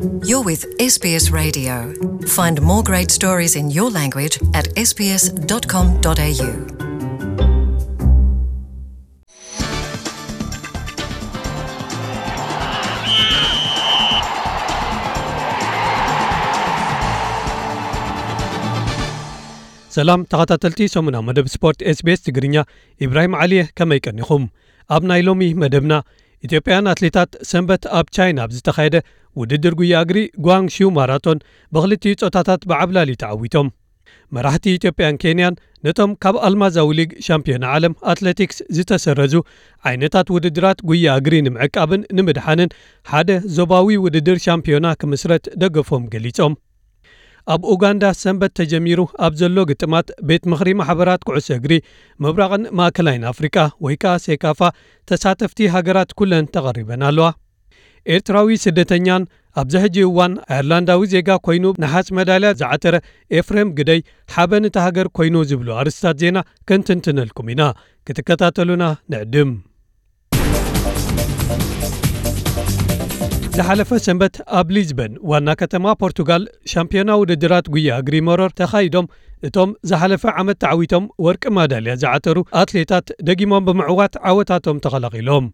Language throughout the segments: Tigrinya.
You're with S B S Radio. Find more great stories in your language at S B S dot com dot A U. ሰላም ተኸታተልቲ ሰሙናዊ መደብ ስፖርት S B S ትግርኛ፣ ኢብራሂም ዓሊየ፣ ከመይ ቀኒኹም? ኣብ ናይ ሎሚ መደብና፣ ኢትዮጵያውያን ኣትሌታት ሰንበት ኣብ ቻይና ኣብ ዝተኻየደ ውድድር ጉያ እግሪ ጓንግሺው ማራቶን ብኽልቲኡ ጾታታት ብዓብላሊ ተዓዊቶም። መራሕቲ ኢትዮጵያን ኬንያን ነቶም ካብ ኣልማዛዊ ሊግ ሻምፒዮና ዓለም ኣትሌቲክስ ዝተሰረዙ ዓይነታት ውድድራት ጉያ እግሪ ንምዕቃብን ንምድሓንን ሓደ ዞባዊ ውድድር ሻምፒዮና ክምስረት ደገፎም ገሊጾም። ኣብ ኡጋንዳ ሰንበት ተጀሚሩ ኣብ ዘሎ ግጥማት ቤት ምኽሪ ማሕበራት ኩዕሶ እግሪ ምብራቕን ማእከላይን ኣፍሪቃ ወይ ከኣ ሴካፋ ተሳተፍቲ ሃገራት ኩለን ተቐሪበን ኣለዋ። ኤርትራዊ ስደተኛን ኣብዚ ሕጂ እዋን ኣየርላንዳዊ ዜጋ ኮይኑ ነሓስ መዳልያ ዝዓተረ ኤፍሬም ግደይ ሓበን እታ ሃገር ኮይኑ ዝብሉ ኣርእስታት ዜና ከንትንትነልኩም ኢና። ክትከታተሉና ንዕድም። ዝሓለፈ ሰንበት ኣብ ሊዝበን ዋና ከተማ ፖርቱጋል ሻምፒዮና ውድድራት ጉያ እግሪ መሮር ተኻይዶም እቶም ዝሓለፈ ዓመት ተዓዊቶም ወርቂ ማዳልያ ዝዓተሩ ኣትሌታት ደጊሞም ብምዕዋት ዓወታቶም ተኸላኺሎም።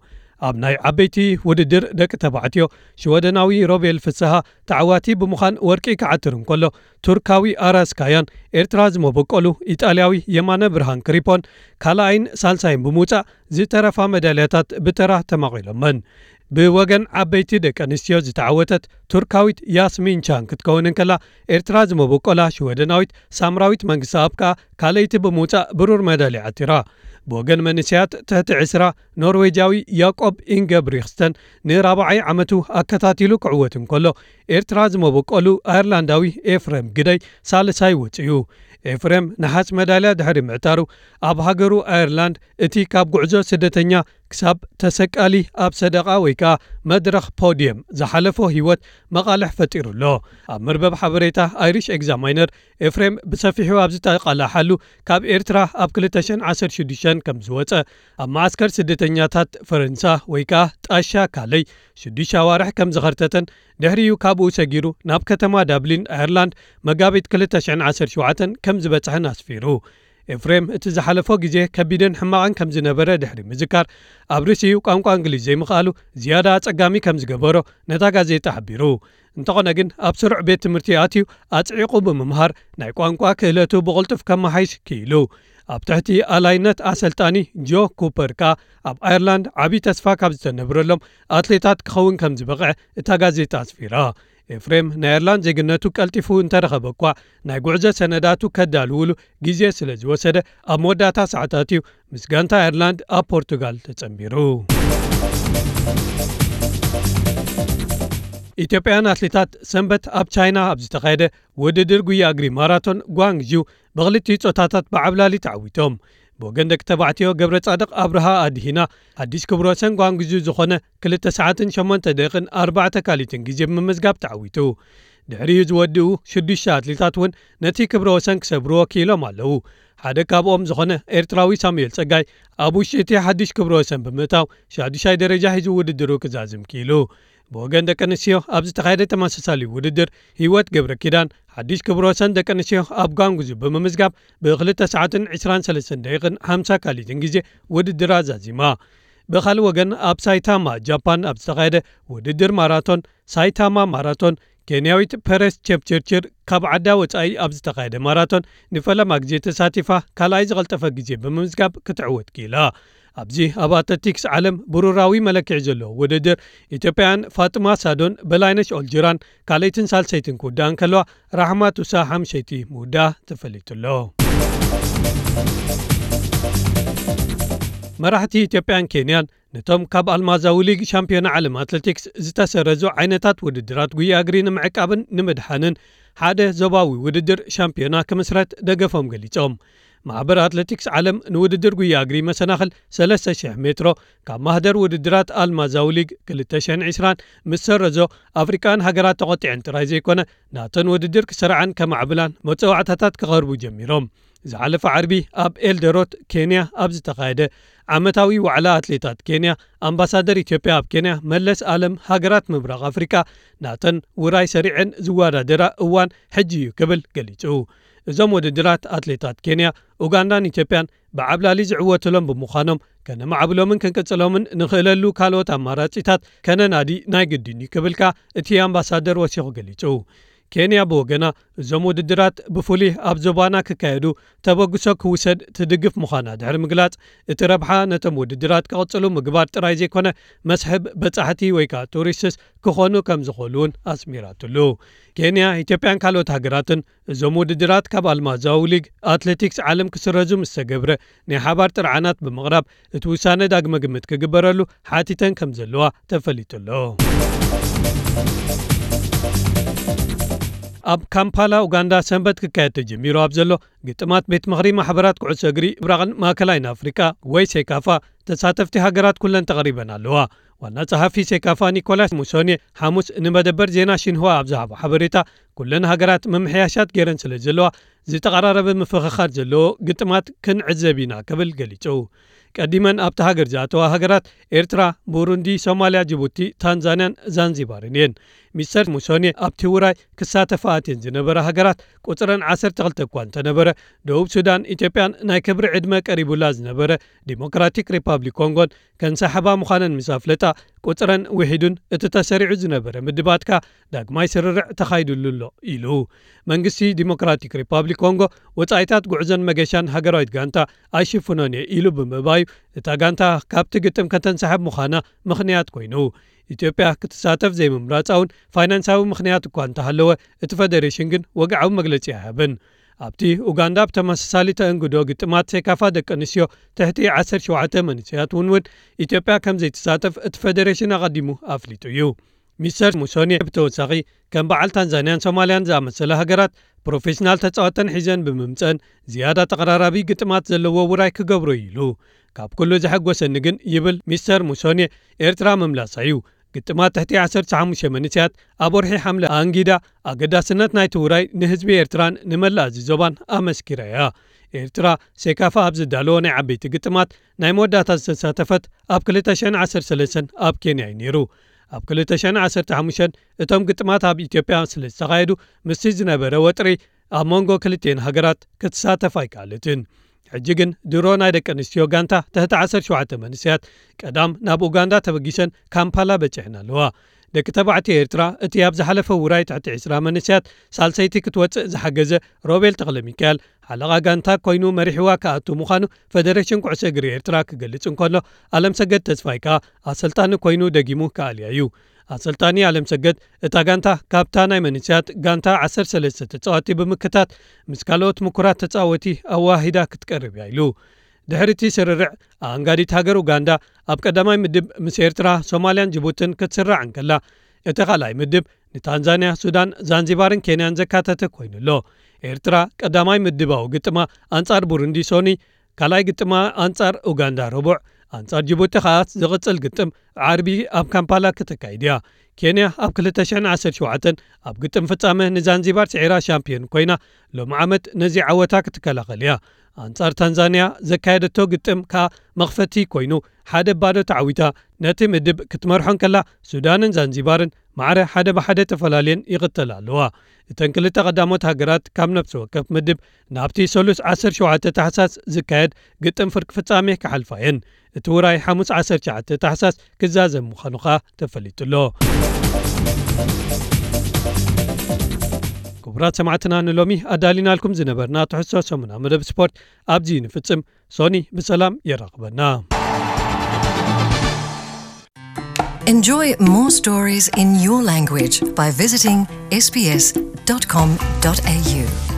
ኣብ ናይ ዓበይቲ ውድድር ደቂ ተባዕትዮ ሽወደናዊ ሮቤል ፍስሃ ተዓዋቲ ብምዃን ወርቂ ክዓትር እንከሎ፣ ቱርካዊ ኣራስ ካያን ኤርትራ ዝመበቆሉ ኢጣልያዊ የማነ ብርሃን ክሪፖን ካልኣይን ሳልሳይን ብምውጻእ ዝተረፋ መዳልያታት ብተራ ተማቒሎመን። ብወገን ዓበይቲ ደቂ ኣንስትዮ ዝተዓወተት ቱርካዊት ያስሚን ቻን ክትከውን እንከላ፣ ኤርትራ ዝመበቆላ ሽወደናዊት ሳምራዊት መንግስተኣብ ከኣ ካልኣይቲ ብምውጻእ ብሩር መዳልያ ዓቲራ። ብወገን መንእሰያት ትሕቲ ዕስራ ኖርዌጃዊ ያቆብ ኢንገብሪክስተን ንራብዓይ ዓመቱ ኣከታቲሉ ክዕወት እንከሎ፣ ኤርትራ ዝመበቆሉ ኣየርላንዳዊ ኤፍሬም ግደይ ሳልሳይ ወጺኡ። ኤፍሬም ነሓስ መዳልያ ድሕሪ ምዕታሩ፣ ኣብ ሃገሩ ኣየርላንድ እቲ ካብ ጉዕዞ ስደተኛ ክሳብ ተሰቃሊ ኣብ ሰደቓ ወይ ከኣ መድረኽ ፖድየም ዝሓለፎ ህይወት መቓልሕ ፈጢሩ ኣሎ። ኣብ መርበብ ሓበሬታ ኣይሪሽ ኤግዛማይነር ኤፍሬም ብሰፊሑ ኣብ ዝተቓላሓሉ ካብ ኤርትራ ኣብ ክልተ ሽሕን ዓሰርተ ሽዱሽተን ከም ዝወጸ፣ ኣብ መዓስከር ስደተኛታት ፈረንሳ ወይ ከኣ ጣሻ ካለይ ሽዱሽተ ኣዋርሕ ከም ዝኸርተተን ድሕሪኡ ካብኡ ሰጊሩ ናብ ከተማ ዳብሊን ኣየርላንድ መጋቢት ክልተ ሽሕን ዓሰርተ ሸውዓተን ከም ዝበጽሐን ኣስፊሩ። ኤፍሬም እቲ ዝሓለፎ ግዜ ከቢድን ሕማቕን ከም ዝነበረ ድሕሪ ምዝካር፣ ኣብ ርእሲኡ ቋንቋ እንግሊዝ ዘይምኽኣሉ ዝያዳ ኣጸጋሚ ከም ዝገበሮ ነታ ጋዜጣ ሓቢሩ። እንተኾነ ግን ኣብ ስሩዕ ቤት ትምህርቲ ኣትዩ ኣጽዒቑ ብምምሃር ናይ ቋንቋ ክእለቱ ብቕልጡፍ ከመሓይሽ ክኢሉ። ኣብ ትሕቲ ኣላይነት ኣሰልጣኒ ጆ ኩፐር ከኣ ኣብ ኣየርላንድ ዓቢ ተስፋ ካብ ዝተነብረሎም ኣትሌታት ክኸውን ከም ዝበቕዐ እታ ጋዜጣ ኣስፊራ። ኤፍሬም ናይ ኣየርላንድ ዜግነቱ ቀልጢፉ እንተረኸበ እኳ፣ ናይ ጉዕዞ ሰነዳቱ ከዳልውሉ ግዜ ስለ ዝወሰደ፣ ኣብ መወዳእታ ሰዓታት እዩ ምስ ጋንታ ኣየርላንድ ኣብ ፖርቱጋል ተጸንቢሩ። ኢትዮጵያውያን ኣትሌታት ሰንበት ኣብ ቻይና ኣብ ዝተኻየደ ውድድር ጉያ እግሪ ማራቶን ጓንግዢው ብኽልቲኡ ጾታታት ብዓብላሊ ተዓዊቶም። ብወገን ደቂ ተባዕትዮ ገብረ ጻድቕ ኣብርሃ ኣድሂና ሓድሽ ክብረ ወሰን ጓንግዢው ዝኾነ ክልተ ሰዓትን ሸሞንተ ደቂቕን ኣርባዕተ ካሊትን ግዜ ብምምዝጋብ ተዓዊቱ። ድሕሪኡ ዝወድኡ ሽዱሽተ ኣትሌታት እውን ነቲ ክብረ ወሰን ክሰብርዎ ክኢሎም ኣለዉ። ሓደ ካብኦም ዝኾነ ኤርትራዊ ሳሙኤል ጸጋይ ኣብ ውሽጢ እቲ ሓድሽ ክብረ ወሰን ብምእታው ሻዱሻይ ደረጃ ሒዙ ውድድሩ ክዛዝም ክኢሉ። ብወገን ደቂ ኣንስትዮ ኣብ ዝተኻየደ ተመሳሳሊ ውድድር ህይወት ገብረ ኪዳን ሓድሽ ክብረ ወሰን ደቂ ኣንስትዮ ኣብ ጓንጉዙ ብምምዝጋብ ብክልተ ሰዓትን ዕስራን ሰለስተን ደቂቕን ሓምሳ ካሊትን ግዜ ውድድር ኣዛዚማ። ብኻልእ ወገን ኣብ ሳይታማ ጃፓን ኣብ ዝተኻየደ ውድድር ማራቶን ሳይታማ ማራቶን ኬንያዊት ፐረስ ቸፕቸርችር ካብ ዓዳ ወጻኢ ኣብ ዝተኻየደ ማራቶን ንፈለማ ግዜ ተሳቲፋ ካልኣይ ዝቐልጠፈ ግዜ ብምምዝጋብ ክትዕወት ክኢላ። ኣብዚ ኣብ ኣትሌቲክስ ዓለም ብሩራዊ መለክዒ ዘለዎ ውድድር ኢትዮጵያን ፋጥማ ሳዶን በላይነሽ ኦልጅራን ካልኣይትን ሳልሰይትን ክውዳእ እንከለዋ ራሕማ ቱሳ ሓምሸይቲ ምውዳኣ ተፈሊጡ ኣሎ። መራሕቲ ኢትዮጵያን ኬንያን ነቶም ካብ ኣልማዛዊ ሊግ ሻምፒዮና ዓለም ኣትሌቲክስ ዝተሰረዙ ዓይነታት ውድድራት ጉያ እግሪ ንምዕቃብን ንምድሓንን ሓደ ዞባዊ ውድድር ሻምፒዮና ክምስረት ደገፎም ገሊጾም። ማሕበር ኣትሌቲክስ ዓለም ንውድድር ጉያ እግሪ መሰናኽል ሰለስተ ሽሕ ሜትሮ ካብ ማህደር ውድድራት ኣልማዛዊ ሊግ ክልተ ሽሕን ዕስራን ምስ ሰረዞ ኣፍሪቃን ሃገራት ተቖጢዐን ጥራይ ዘይኮነ ናተን ውድድር ክሰርዓን ከማዕብላን መጸዋዕታታት ክቐርቡ ጀሚሮም። ዝሓለፈ ዓርቢ ኣብ ኤልደሮት ኬንያ ኣብ ዝተኻየደ ዓመታዊ ዋዕላ ኣትሌታት ኬንያ ኣምባሳደር ኢትዮጵያ ኣብ ኬንያ መለስ ኣለም፣ ሃገራት ምብራቕ ኣፍሪቃ ናተን ውራይ ሰሪዐን ዝወዳደራ እዋን ሕጂ እዩ ክብል ገሊጹ። እዞም ውድድራት ኣትሌታት ኬንያ፣ ኡጋንዳን ኢትዮጵያን ብዓብላሊ ዝዕወትሎም ብምዃኖም፣ ከነማዕብሎምን ክንቅጽሎምን ንኽእለሉ ካልኦት ኣማራጺታት ከነናዲ ናይ ግድን እዩ ክብል ከኣ እቲ ኣምባሳደር ወሲኹ ገሊጹ። ኬንያ ብወገና፣ እዞም ውድድራት ብፍሉይ ኣብ ዞባና ክካየዱ ተበግሶ ክውሰድ ትድግፍ ምዃና ድሕሪ ምግላጽ፣ እቲ ረብሓ ነቶም ውድድራት ክቕጽሉ ምግባር ጥራይ ዘይኮነ፣ መስሕብ በጻሕቲ ወይ ከኣ ቱሪስትስ ክኾኑ ከም ዝኽእሉ እውን ኣስሚራትሉ። ኬንያ፣ ኢትዮጵያን ካልኦት ሃገራትን እዞም ውድድራት ካብ ኣልማዛዊ ሊግ ኣትሌቲክስ ዓለም ክስረዙ ምስ ተገብረ፣ ናይ ሓባር ጥርዓናት ብምቕራብ እቲ ውሳነ ዳግመ ግምት ክግበረሉ ሓቲተን ከም ዘለዋ ተፈሊጡ ኣሎ። ኣብ ካምፓላ ኡጋንዳ ሰንበት ክካየድ ተጀሚሩ ኣብ ዘሎ ግጥማት ቤት ምኽሪ ማሕበራት ኩዕሶ እግሪ ምብራቕን ማእከላይን ኣፍሪቃ ወይ ሴካፋ፣ ተሳተፍቲ ሃገራት ኩለን ተቐሪበን ኣለዋ። ዋና ጸሓፊ ሴካፋ ኒኮላስ ሙሶኔ ሓሙስ ንመደበር ዜና ሺንሁዋ ኣብ ዝሃቦ ሓበሬታ፣ ኩለን ሃገራት ምምሕያሻት ገይረን ስለ ዘለዋ፣ ዝተቐራረበ ምፍኽኻር ዘለዎ ግጥማት ክንዕዘብ ኢና ክብል ገሊጹ። ቀዲመን ኣብቲ ሃገር ዝኣተዋ ሃገራት ኤርትራ፣ ቡሩንዲ፣ ሶማልያ፣ ጅቡቲ፣ ታንዛንያን ዛንዚባርን እየን። ሚስተር ሙሶኔ ኣብቲ ውራይ ክሳተፋ ኣትየን ዝነበራ ሃገራት ቁጽረን ዓሰርተ ክልተ እኳ እንተነበረ፣ ደቡብ ሱዳን፣ ኢትዮጵያን ናይ ክብሪ ዕድመ ቀሪቡላ ዝነበረ ዲሞክራቲክ ሪፓብሊክ ኮንጎን ከንሰሕባ ምዃነን ምስ ኣፍለጣ፣ ቁጽረን ውሒዱን እቲ ተሰሪዑ ዝነበረ ምድባትካ ዳግማይ ስርርዕ ተኻይዱሉ ኣሎ ኢሉ። መንግስቲ ዲሞክራቲክ ሪፓብሊክ ኮንጎ ወጻኢታት ጉዕዞን መገሻን ሃገራዊት ጋንታ ኣይሽፍኖን እየ ኢሉ ብምእባዩ፣ እታ ጋንታ ካብቲ ግጥም ከተንሰሕብ ምዃና ምኽንያት ኮይኑ። ኢትዮጵያ ክትሳተፍ ዘይምምራጻ እውን ፋይናንሳዊ ምኽንያት እኳ እንተሃለወ፣ እቲ ፈደሬሽን ግን ወግዓዊ መግለጺ ኣይሃበን። ኣብቲ ኡጋንዳ ብተመሳሳሊ ተእንግዶ ግጥማት ሴካፋ ደቂ ኣንስትዮ ትሕቲ ዓሰርተ ሸውዓተ መንእሰያት እውን እውን ኢትዮጵያ ከም ዘይትሳተፍ እቲ ፈደሬሽን ኣቐዲሙ ኣፍሊጡ እዩ። ሚስተር ሙሶኔ ብተወሳኺ፣ ከም በዓል ታንዛንያን ሶማልያን ዝኣመሰላ ሃገራት ፕሮፌሽናል ተጻወተን ሒዘን ብምምጸን ዝያዳ ተቐራራቢ ግጥማት ዘለዎ ውራይ ክገብሮ እዩ ኢሉ። ካብ ኩሉ ዘሐጎሰኒ ግን፣ ይብል ሚስተር ሙሶኔ፣ ኤርትራ ምምላሳ እዩ። ግጥማት ትሕቲ ዓሰርተ ሓሙሽተ መንእሰያት ኣብ ወርሒ ሓምለ ኣንጊዳ፣ ኣገዳስነት ናይቲ ውራይ ንህዝቢ ኤርትራን ንመላእ እዚ ዞባን ኣመስኪራ እያ። ኤርትራ ሴካፋ ኣብ ዝዳለዎ ናይ ዓበይቲ ግጥማት ናይ መወዳእታ ዝተሳተፈት ኣብ ክልተ ሽሕን ዓሰርተ ሰለስተን ኣብ ኬንያ እዩ ነይሩ። ኣብ ክልተ ሽሕን ዓሰርተ ሓሙሽተን እቶም ግጥማት ኣብ ኢትዮጵያ ስለ ዝተኻየዱ፣ ምስቲ ዝነበረ ወጥሪ ኣብ መንጎ ክልቲኤን ሃገራት ክትሳተፍ ኣይከኣለትን። ሕጂ ግን ድሮ ናይ ደቂ ኣንስትዮ ጋንታ ትሕቲ ዓሰርተ ሸውዓተ መንእሰያት ቀዳም ናብ ኡጋንዳ ተበጊሰን ካምፓላ በጺሐን ኣለዋ። ደቂ ተባዕትዮ ኤርትራ እቲ ኣብ ዝሓለፈ ውራይ ትሕቲ ዕስራ መንእሰያት ሳልሰይቲ ክትወጽእ ዝሓገዘ ሮቤል ተኽለ ሚካኤል ሓለቓ ጋንታ ኮይኑ መሪሕዋ ክኣቱ ምዃኑ ፈደሬሽን ኩዕሶ እግሪ ኤርትራ ክገልጽ እንከሎ፣ ኣለምሰገድ ተስፋይ ከኣ ኣሰልጣኒ ኮይኑ ደጊሙ ክኣልያ እዩ። ኣሰልጣኒ ኣለምሰገድ፣ እታ ጋንታ ካብታ ናይ መንእሰያት ጋንታ ዓሰርተ ሰለስተ ተጻወቲ ብምክታት ምስ ካልኦት ምኩራት ተጻወቲ ኣዋሂዳ ክትቀርብ እያ ኢሉ። ድሕሪ እቲ ስርርዕ፣ ኣኣንጋዲት ሃገር ኡጋንዳ ኣብ ቀዳማይ ምድብ ምስ ኤርትራ፣ ሶማልያን ጅቡትን ክትስራዕ እንከላ፣ እቲ ካልኣይ ምድብ ንታንዛንያ፣ ሱዳን፣ ዛንዚባርን ኬንያን ዘካተተ ኮይኑ ኣሎ። ኤርትራ ቀዳማይ ምድባዊ ግጥማ ኣንጻር ቡሩንዲ ሶኒ፣ ካልኣይ ግጥማ ኣንጻር ኡጋንዳ ረቡዕ፣ ኣንጻር ጅቡቲ ከኣ ዝቕጽል ግጥም ዓርቢ ኣብ ካምፓላ ክተካይድ እያ። ኬንያ ኣብ ክልተ ሽሕን ዓሰርተ ሸውዓተን ኣብ ግጥም ፍጻመ ንዛንዚባር ስዒራ ሻምፒዮን ኮይና፣ ሎሚ ዓመት ነዚ ዓወታ ክትከላኸል እያ። ኣንጻር ታንዛንያ ዘካየደቶ ግጥም ከኣ መኽፈቲ ኮይኑ፣ ሓደ ባዶ ተዓዊታ ነቲ ምድብ ክትመርሖ እንከላ፣ ሱዳንን ዛንዚባርን ማዕረ ሓደ ብሓደ ተፈላለየን ይቕተላ ኣለዋ። እተን ክልተ ቀዳሞት ሃገራት ካብ ነፍሲ ወከፍ ምድብ ናብቲ ሰሉስ ዓሰርተ ሸውዓተ ታሕሳስ ዝካየድ ግጥም ፍርቂ ፍጻሜ ክሓልፋ እየን። እቲ ውራይ ሓሙስ ዓሰርተ ትሽዓተ ታሕሳስ ክዛዘም ምዃኑ ከኣ ተፈሊጡ ኣሎ። ክቡራት ሰማዕትና፣ ንሎሚ ኣዳሊናልኩም ዝነበርና ትሕዝቶ ሰሙናዊ መደብ ስፖርት ኣብዚ ንፍጽም። ሶኒ ብሰላም የራኽበና። Enjoy more stories in your language by visiting S B S dot com dot A U.